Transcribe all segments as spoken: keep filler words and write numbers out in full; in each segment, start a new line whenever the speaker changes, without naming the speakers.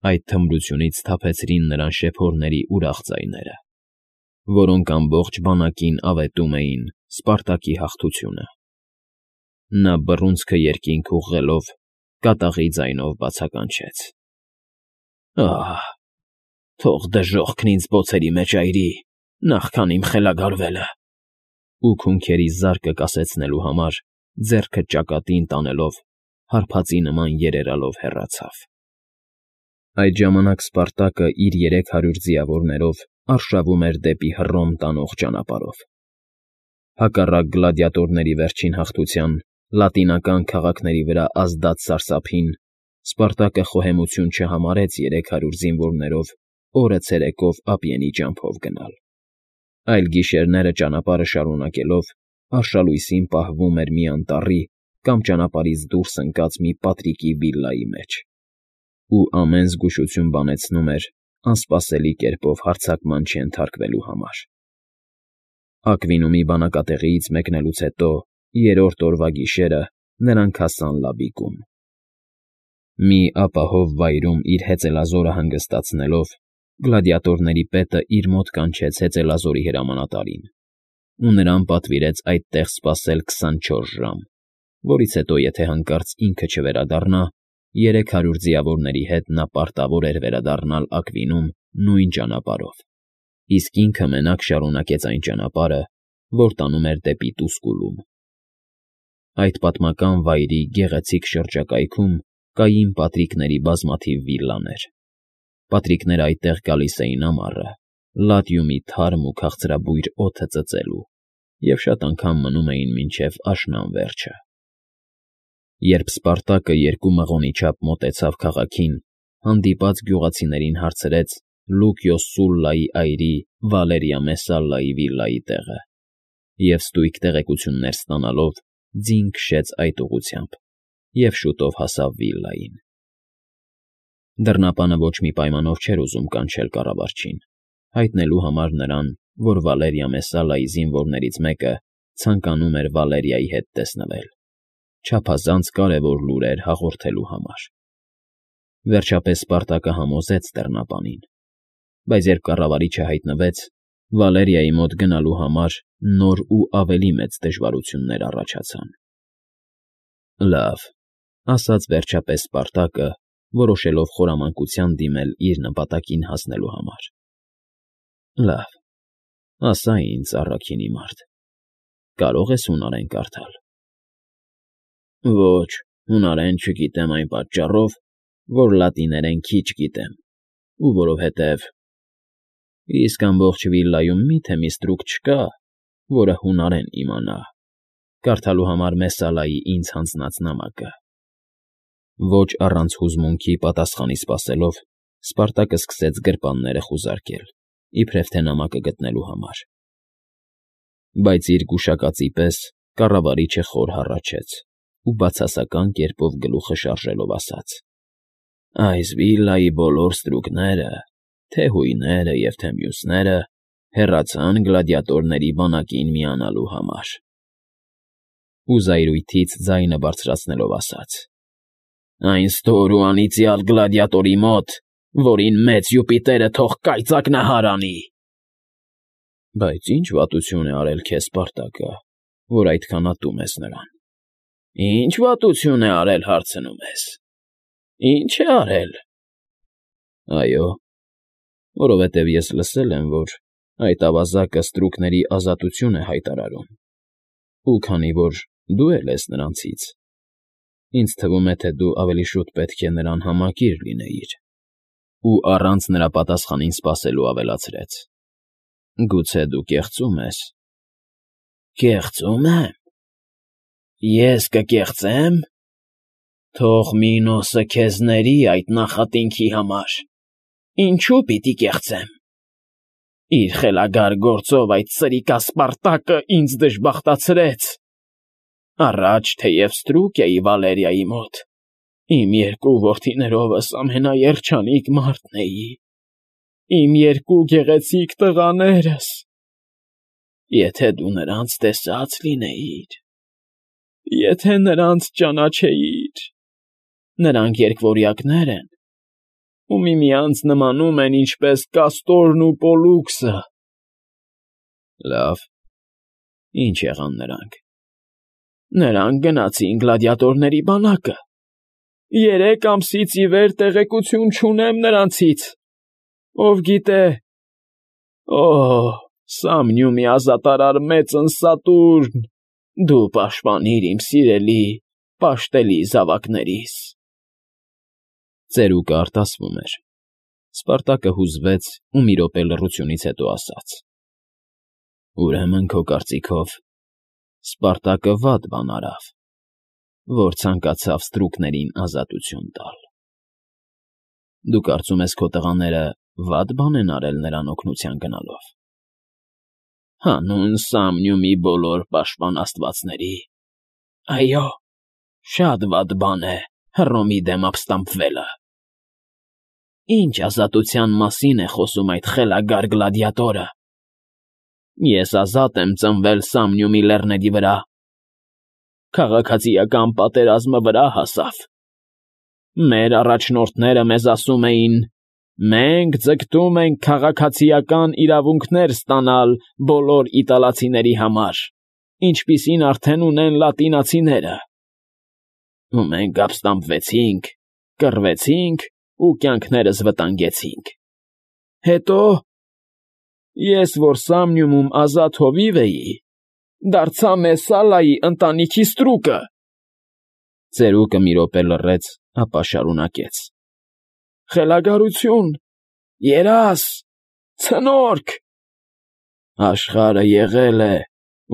Այդ թմրությունից սթափեցրին նրան շեփորների ուրախ ձայները, որոնք ամբողջ բանակին ավետում էին Սպարտակի հաղթությունը։ Նա բռունցքը երկինք ուղղելով կատաղի ձայնով բացականչեց. «Ահ, թող դժոխքն ինձ բոցերի մեջ այրի, նախքան իմ խելագարվելը»։ Ու քունքերի զարկը կասեցնելու համար ձեռքը ճակատին տանելով հարբածի նման երերալով հեռացավ։ Այդ ժամանակ Սպարտակը իր երեք հարյուր ձիավորներով արշավում էր դեպի Հռոմ տանող ճանապարհով։ Հակառակ գլադիատորների վերջին հաղթության լատինական քաղաքների վրա ազդած սարսափին, Սպարտակը խոհեմություն չհամարեց երեք հարյուր զինվորներով օրը ցերեկով ափիենի ճամփով գնալ, այլ գիշերները ճանապարհը շարունակելով արշալույսին պահվում էր մի անտառի կամ ճանապարհից դուրս ընկած մի պատրիկի վիլլայի մեջ, ու ամեն զգուշություն բանեցնում էր անսպասելի կերպով հարձակման չենթարկվելու համար։ Ակվինոմի բանակատեղիից մեկնելուց հետո երրորդ օրվա գիշերը նրանք հասան Լաբիկում։ Մի ապահով վայրում իր հեծելազորը հանգստացնելով, գլադիատորների պետը իր մոտ կանչեց հեծելազորի հրամանատարին ու նրան պատվիրեց այդտեղ սպասել քսանչորս ժամ, որից հետո, եթե հանկարծ ինքը չվերադառնա, երեք հարյուր ձիավորների հետ նա պարտավոր էր վերադառնալ Ակվինում նույն ճանապարհով, իսկ ինքը մենակ շարունակեց այն ճանապարհը, որ տանում էր դեպի Տուսկուլում։ Այդ պատմական վայրի գեղեցիկ շրջակայքում կային պատրիկների բազմաթիվ վիլլաներ։ Պատրիկները այդտեղ գալիս էին ամառը, լատիումի թարմ ու քաղցրաբույր օդը ծծելու և շատ անգամ մնում էին մինչև աշնան վերջը։ Երբ Սպարտակը երկու մղոնի չափ մոտեցավ քաղաքին, հանդիպած գյուղացիներին հարցրեց Լուկիո Սուլլայի այրի Վալերիա Մեսսալայի վիլլայի տեղը և ստույգ տեղեկություններ ստանալով ձին քշեց այդ ուղղությամբ և շուտով հասավ վիլլային։ Դռնապանը ոչ մի պայմանով չէր ուզում կանչել կառավարչին, հայտնելու համար նրան, որ Վալերիա Մեսսալայի զինվորներից մեկը ցանկանում էր Վալերիայի հետ տեսնվել, չափազանց կարևոր լուրեր հաղորդելու համար։ Վերջապես Սպարտակը համոզեց դռնապանին, բայց երբ կառավարիչը հայտնվեց, Վալերիայի մոտ գնալու համար նոր ու ավելի մեծ դժվարություններ առաջացան։ «Լավ,֊ ասաց վերջապես Սպարտակը, որոշելով խորամանկության դիմել իր նպատակին հասնելու համար,֊ լավ, ասա ինձ, առաքինի մարդ, կարո՞ղ ես հունարեն կարդալ»։ «Ոչ, հունարեն չգիտեմ այն պատճառով, որ լատիներեն քիչ գիտեմ, ու որովհետև…» «Իսկ ամբողջ վիլլայում մի՞թե մի ստրուկ չկա, որը հունարեն իմանա, կարդալու համար Մեսսալայի ինձ հանձնած նամակը»։ Ոչ առանց հուզմունքի պատասխանի սպասելով, Սպարտակը սկսեց գրպանները խուզարկել, իբրև թե նամակը գտնելու համար։ Բայց իր գուշակածի պես կառավարիչը խոր հառաչեց ու բացասական կերպով գլուխը շարժելով ասաց. «Այս վիլլայի բոլոր ստրուկները, թե հույները և թե մյուսները, հեռացան գլադիատորների բանակին միանալու համար»։ Ու զայրույթից ձայնը բարձրացնելով ասաց. «Այն ստոր ու անիծյալ գլադիատորի մոտ, որին մեծ Յուպիտերը թող կայծակնահար անի»։ «Բայց ի՞նչ վատություն է արել քեզ Սպարտակը, որ այդքան ատում ես նրան»։ «Ի՞նչ վատություն է արել, հարցնում ես, ի՞նչ է արել»։ «Այո, որովհետև ես լսել եմ, որ այդ ավազակը ստրուկների ազատություն է հայտարարում, ու քանի որ դու էլ ես նրանցից, ինձ թվում է, թե դու ավելի շուտ պետք է նրան համակիր լինեիր»։ Ու առանց նրա պատասխանին սպասելու ավելացրեց. «Գուցե դու կեղծում ես»։ «Կեղծո՞ւմ եմ։ Ես կկեղծե՞մ։ Թող Մինոսը քեզ ների այդ նախատինքի համար, ինչո՞ւ պիտի կեղծեմ։ Իր խելագար գործով այդ սրիկա Սպարտակը ինձ դժբախտացրեց։ Առաջ, թեև ստրուկ էի Վալերիայի մոտ, իմ երկու որդիներովս ամենաերջանիկ մարդն էի, իմ երկու գեղեցիկ տղաներս։ Եթե դու նրանց տեսած լինեիր… Եթե նրանց ճանաչեիր… Նրանք երկվորյակներ են,
ու միմյանց նմանում են ինչպես Կաստորն ու Պոլուքսը։
Լավ, ի՞նչ եղան նրանք։
Նրանք գնացին գլադիատորների բանակը։ Երեք ամսից ի վեր տեղեկություն չունեմ նրանցից։ Ով գիտե… Օհ, Սամնյումի ազատարար մեծն Սատուրն, դու պաշտպանիր իմ սիրելի պաշտելի զավակներիս…
Ծերուկը արտասվում էր։ Սպարտակը հուզվեց ու մի րոպե լռությունից հետո ասաց. Ուրեմն քո կարծիքով Սպարտակը վատ բան արավ, որ ցանկացավ ստրուկներին ազատություն տալ։ Դու կարծում ես քո տղաները վատ բան են արել նրան օգնության գնալով։
Հանուն Սամնյումի բոլոր պաշտպան աստվածների… Այո, շատ վատ բան է Հռոմի դեմ ապստամբվելը։ Ինչ ազատության մասին է խոսում այդ խելագար գլադիատորը։ Ես ազատ եմ ծնվել Սամնյումի լեռների վրա։ Քաղաքացիական պատերազմը վրա հասավ։ Մեր առաջնորդները մեզ ասում էին. «Մենք ձգտում ենք քաղաքացիական իրավունքներ ստանալ բոլոր իտալացիների համար, ինչպիսին արդեն ունեն լատինացիները»։ Ու մենք ապստամբվեցինք, կռվեցինք ու կյանքներս վտանգեցինք։ Հետո… ես, որ Սամնյումում ազատ հովիվ էի, դարձա Մեսալայի ընտանիքի ստրուկը…
Ծերուկը մի րոպե լռեց, ապա շարունակեց.
Խելագարություն, երազ, ցնորք… Աշխարհը եղել է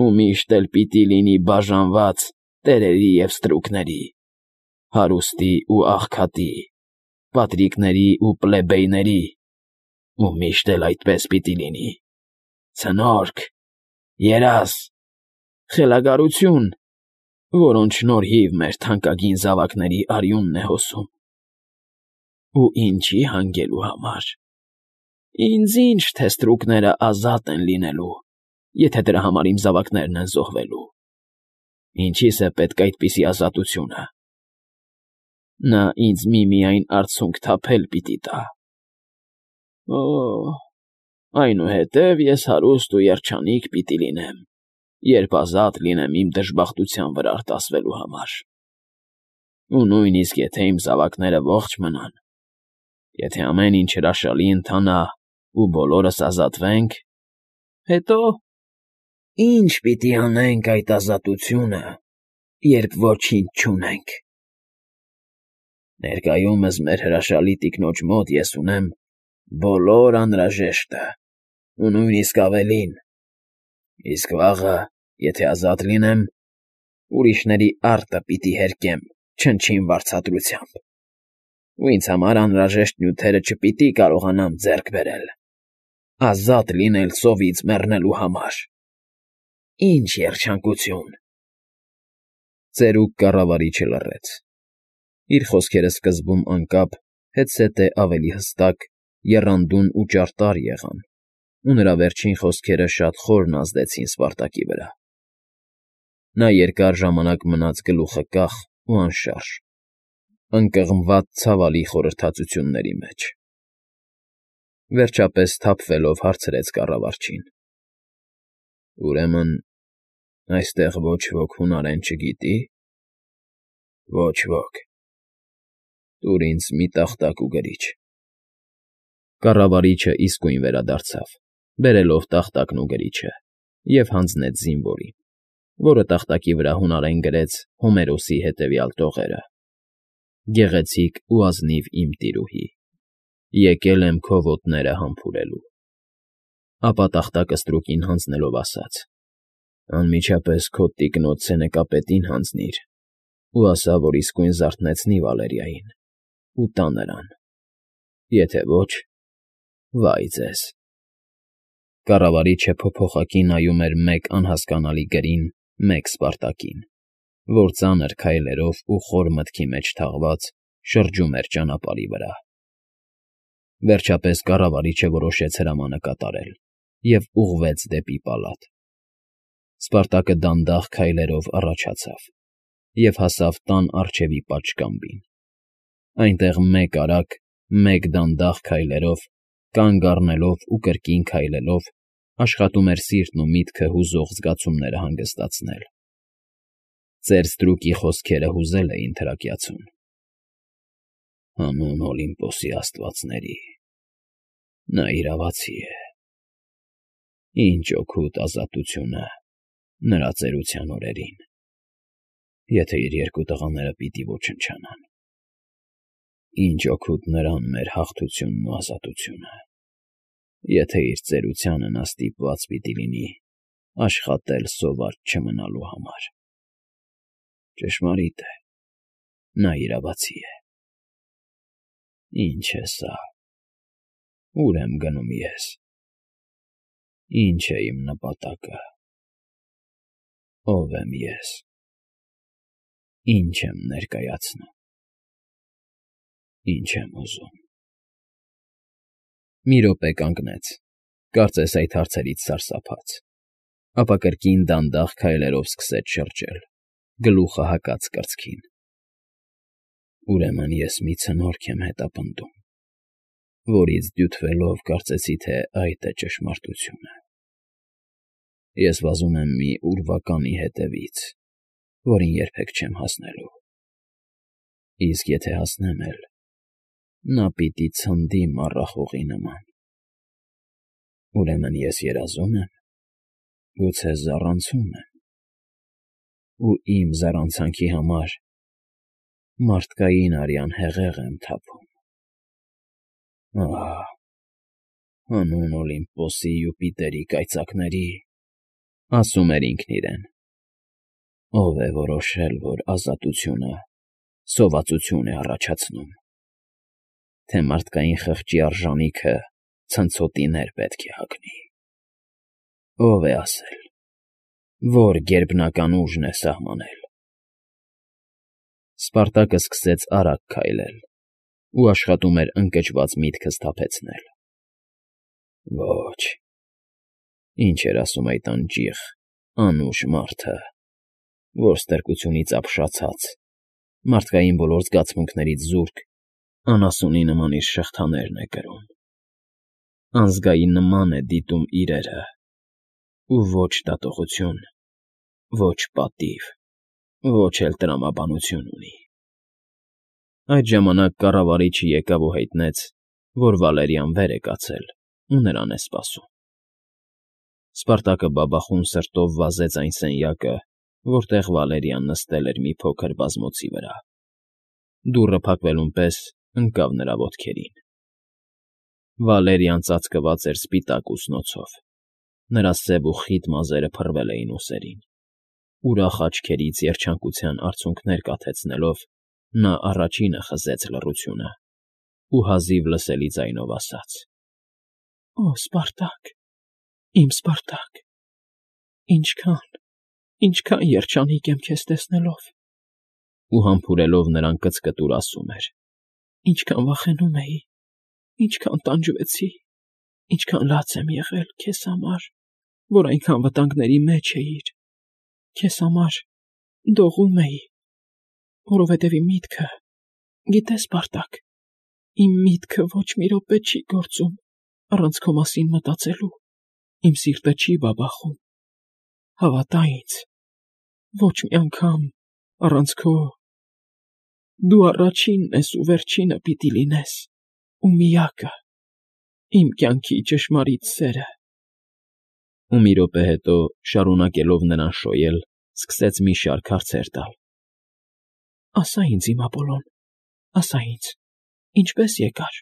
ու միշտ էլ պիտի լինի բաժանված տերերի և ստրուկների, հարուստի ու աղքատի, պատրիկների ու պլեբեյների, ու միշտ էլ այդպես պիտի լինի… Ցնորք, երազ, խելագարություն, որոնց շնորհիվ մեր թանկագին զավակների արյունն է հոսում… Ու ինչի՞ հանգելու համար… Ինձ ի՞նչ թե ստրուկները ազատ են լինելու, եթե դրա համար իմ զավակներն են զոհվելու… Ինչի՞ս է պետք այդպիսի ազատությունը… Նա ինձ միմիայն արցունք թափել պիտի տա… Օհ… այնուհետև ես հարուստ ու երջանիկ պիտի լինեմ, երբ ազատ լինեմ իմ դժբախտության վրա արտասվելու համար… Ու նույնիսկ եթե իմ զավակները ողջ մնան, եթե ամեն ինչ հրաշալի ընթանա ու բոլորս ազատվենք… Հետո… ի՞նչ պիտի անենք այդ ազատությունը, երբ ոչինչ չունենք… Ներկայումս մեր հրաշալի տիկնոջ մոտ ես ունեմ բոլոր անհրաժեշտը ու նույնիսկ ավելին, իսկ վաղը, եթե ազատ լինեմ, ուրիշների արտը պիտի հերկեմ չնչին վարձատրությամբ, ու ինձ համար անհրաժեշտ նյութերը չպիտի կարողանամ ձեռք բերել, ազատ լինել սովից մեռնելու համար… Ինչ երջանկություն…
Ծերուկ կառավարիչը լռեց։ Իր խոսքերը սկզբում անկապ, հետզհետե ավելի հստակ, եռանդուն ու ճարտար եղան, ու նրա վերջին խոսքերը շատ խորն ազդեցին Սպարտակի վրա։ Նա երկար ժամանակ մնաց գլուխը կախ ու անշարժ, ընկղմված ցավալի խորհրդածությունների մեջ։ Վերջապես սթափվելով հարցրեց կառավարչին. Ուրեմն այստեղ ոչ ոք հունարեն չգիտի՞։ Ոչ ոք… Տուր ինձ մի տախտակ ու գրիչ… Կառավարիչը իսկույն վերադարձավ, բերելով տախտակն ու գրիչը, և հանձնեց զինվորին, որը տախտակի վրա հունարեն գրեց Հոմերոսի հետևյալ տողերը. Գեղեցիկ ու ազնիվ իմ տիրուհի, եկել եմ քո ոտները համբուրելու… Ապա տախտակը ստրուկին հանձնելով ասաց. Անմիջապես քո տիկնոջ սենեկապետին հանձնիր ու ասա, որ իսկույն զարթնեցնի Վալերիային ու տա նրան, եթե ոչ, վա՜յ ձեզ… Կառավարիչը փոփոխակի նայում էր մեկ անհասկանալի գրին, մեկ Սպարտակին, որ ծանր քայլերով ու խոր մտքի մեջ թաղված շրջում էր ճանապարհի վրա։ Վերջապես կառավարիչը որոշեց հրամանը կատարել և ուղղվեց դեպի պալատ։ Սպարտակը դանդաղ քայլերով առաջացավ և հասավ տան առջևի պատշգամբին։ Այնտեղ մեկ արագ, Մեկ դանդաղ քայլերով, կանգ առնելով ու կրկին քայլելով, աշխատում էր սիրտն ու միտքը հուզող զգացումները հանգստացնել։ Ծեր Ստրուկի խոսքերը հուզել էին թրակյացուն։ Հանուն Օլիմպոսի աստվածների, նա իրավացի է։ Ինչ օգուտ ազատությունը նրա ծերության օրերին, եթե իր երկու տղաները պիտի ոչնչանան։ Ինչ օգուտ նրան մեր հաղթությունն ու ազատությունը, եթե իր ծերությանը նա ստիպված պիտի լինի աշխատել սոված չմնալու համար։ Ճշմարիտ է, նա իրավացի է։ Ինչ է սա, ուր եմ գնում ես, ինչ է իմ նպատակը, ով եմ ես, ինչ եմ ներկայացնում, ինչ եմ ուզում։ Մի րոպե կանգնեց, կարծես այդ հարցերից սարսափած, ապա կրկին դանդաղ քայլերով սկսեց շրջել, գլուխը հակած կրծքին։ Ուրեմն ես մի ցնորք եմ հետապնդում, որից դյութվելով կարծեցի, թե այդ է ճշմարտությունը։ Ես վազում եմ մի ուրվականի հետևից, որին երբեք չեմ հասնելու։ Իսկ եթե հասնեմ էլ, նա պիտի ցնդի մառախուղի նման։ Ուրեմն ես երազո՞ւմ եմ, գուցե զառանցում եմ, ու իմ զառանցանքի համար մարդկային արյան հեղեղ եմ թափում։ Ահ, հանուն Օլիմպոսի Յուպիտերի կայծակների, ասում էր ինքն իրեն, ով է որոշել, որ ազատությունը սովածություն է առաջացնում, թե մարդկային խղճի արժանիքը ցնցոտիներ պետք է հագնի։ Ով է ասել, որ գերբնական ուժն է սահմանել։ Սպարտակը սկսեց արագ քայլել ու աշխատում էր ընկճված միտքը սթափեցնել։ Ոչ, ինչ էր ասում այդ անճիղ, անուշ մարդը, որ ստրկությունից ապշացած, մարդկային բոլոր զգացմունքներից զուրկ, անասունի նման իր շղթաներն է կրում, անզգայի նման է դիտում իրերը, ու ոչ դատողություն, ոչ պատիվ, ոչ էլ տրամաբանություն ունի։ Այդ ժամանակ կառավարիչը եկավ ու հայտնեց, որ Վալերիան վեր է կացել ու նրան է սպասում։ Սպարտակը բաբախում սրտով վազեց այն սենյակը, որտեղ Վալերիան նստել էր մի փոքր բազմոցի վրա։ Դուռը փակվելուն պես ընկավ նրա ոտքերին։ Վալերիան ծածկված էր սպիտակ ուսնոցով, նրա սև ու խիտ մազերը փռվել էին ուսերին։ Ուրախ աչքերից երջանկության արցունքներ կաթեցնելով, նա առաջինը խզեց լռությունը ու հազիվ լսելի ձայնով ասաց. Օ, Սպարտակ, իմ Սպարտակ, ինչքան, ինչքան երջանիկ եմ քեզ տեսնելով։ Ու համբուրելով նրան կծկտուր ասում էր. Ինչքան վախենում էի, ինչքան տանջվեցի, ինչքան լաց եմ եղել քեզ համար, որ այնքան վտանգների մեջ էիր, քեզ համար դողում էի, որովհետև իմ միտքը, գիտես, Սպարտակ, իմ միտքը ոչ մի րոպե չի գործում առանց քո մասին մտածելու, իմ սիրտը չի բաբախում, հավատա ինձ, ոչ մի անգամ առանց քո, դու առաջինն ես ու վերջինը պիտի լինես, ու միակը, իմ կյանքի ճշմարիտ սերը։ Ու մի րոպե հետո, շարունակելով նրան շոյել, սկսեց մի շարք հարցեր տալ. Ասա ինձ, իմ Ապոլոն, ասա ինձ, ինչպե՞ս եկար։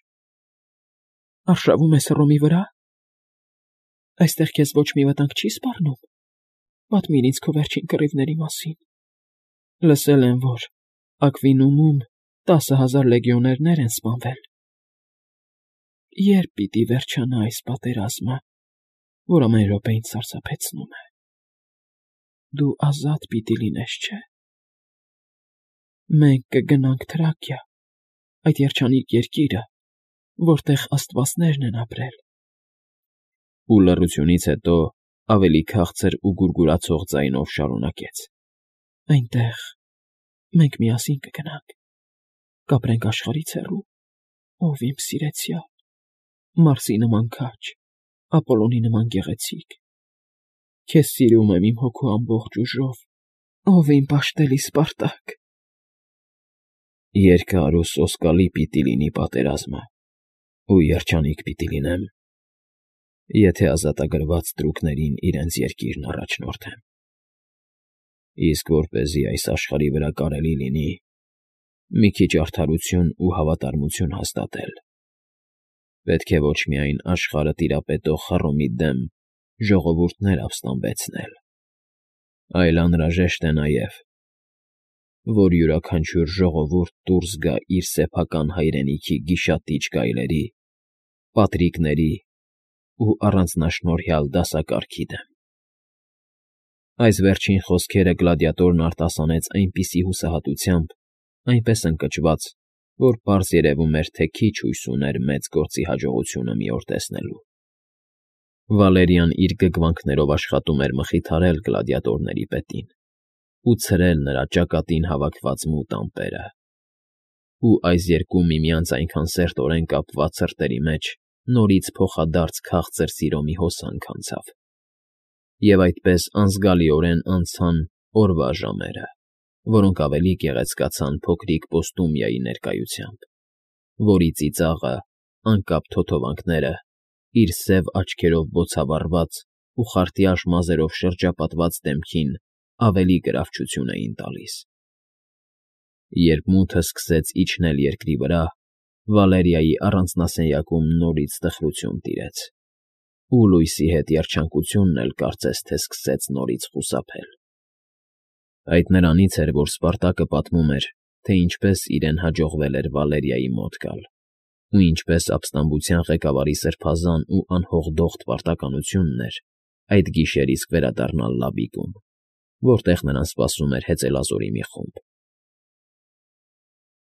Արշավում ես Հռոմի վրա։ Այստեղ քեզ ոչ մի վտանգ չի սպառնում։ Պատմիր ինձ քո վերջին կռիվների մասին։ Լսել եմ, որ Ակվինումում տասը հազար լեգիոներներ են սպանվել։ Երբ պիտի վերջանա այս պատերազմը, որ ամեն րոպե ինձ սարսափեցնում է։ Դու ազատ պիտի լինես, չէ՞։ Մենք կգնանք Թրակիա, այդ երջանիկ երկիրը, որտեղ աստվածներն են ապրել։ Ու լռությունից հետո ավելի քաղցր ու գուրգուրացող ձայնով շարունակեց. Այնտեղ մենք միասին կգնանք, կապրենք աշխարհից հեռու
Ով իմ սիրեցյալ, Մարսի նման քաջ, Ապոլոնի նման գեղեցիկ, քեզ սիրում եմ իմ հոգու ամբողջ ուժով, ով իմ պաշտելի Սպարտակ։
Երկար ու սոսկալի պիտի լինի պատերազմը, ու երջանիկ պիտի լինեմ, եթե ազատագրված թրուկներին իրենց երկիրն առաջնորդեմ։ Իսկ որպեսզի այս աշխարհի վրա կարելի լինի, մի քիչ արդարություն ու հավատարմություն հաստատել, պետք է ոչ միայն աշխարհը տիրապետող խռումի դեմ ժողովուրդներ ապստամբեցնել, այլ անհրաժեշտ է նաև, որ յուրաքանչյուր ժողովուրդ դուրս գա իր սեփական հայրենիքի գիշատիչ գայլերի, պատրիկների ու առանձնաշնորհյալ դասակարգի դեմ։ Այս վերջին խոսքերը գլադիատորն արտասանեց այնպիսի հուսահատությամբ, այնպես ընկճված, որ պարզ երևում էր, թե քիչ հույս ուներ մեծ գործի հաջողությունը մի օր տեսնելու։ Վալերիան իր գգվանքներով աշխատում էր մխիթարել գլադիատորների պետին ու ցրել նրա ճակատին հավաքված մութ ամպերը։ Ու այս երկու միմյանց այնքան սերտորեն կապված սրտերի մեջ նորից փոխադարձ քաղցր սիրո մի հոսանք անցավ։ Եվ այդպես անզգալիորեն անցան օրվա ժամերը, որոնք ավելի գեղեցկացան փոքրիկ Պոստումիայի ներկայությամբ, որի ծիծաղը, անկապ թոթովանքները, իր սև աչքերով բոցավառված ու խարտյաշ մազերով շրջապատված դեմքին ավելի գրավչություն էին տալիս։ Երբ մութը սկսեց իջնել երկրի վրա, Վալերիայի առանձնասենյակում նորից տխրություն տիրեց, ու լույսի հետ երջանկությունն էլ կարծես թե սկսեց նորից խուսափել։ Այդ նրանից էր, որ Սպարտակը պատմում էր, թե ինչպես իրեն հաջողվել էր Վալերիայի մոտ գալ, ու ինչպես ապստամբության ղեկավարի սրբազան ու անհողդողդ պարտականությունն էր այդ գիշեր իսկ վերադառնալ Լաբիկում, որտեղ նրան սպասում էր հեծելազորի մի խումբ։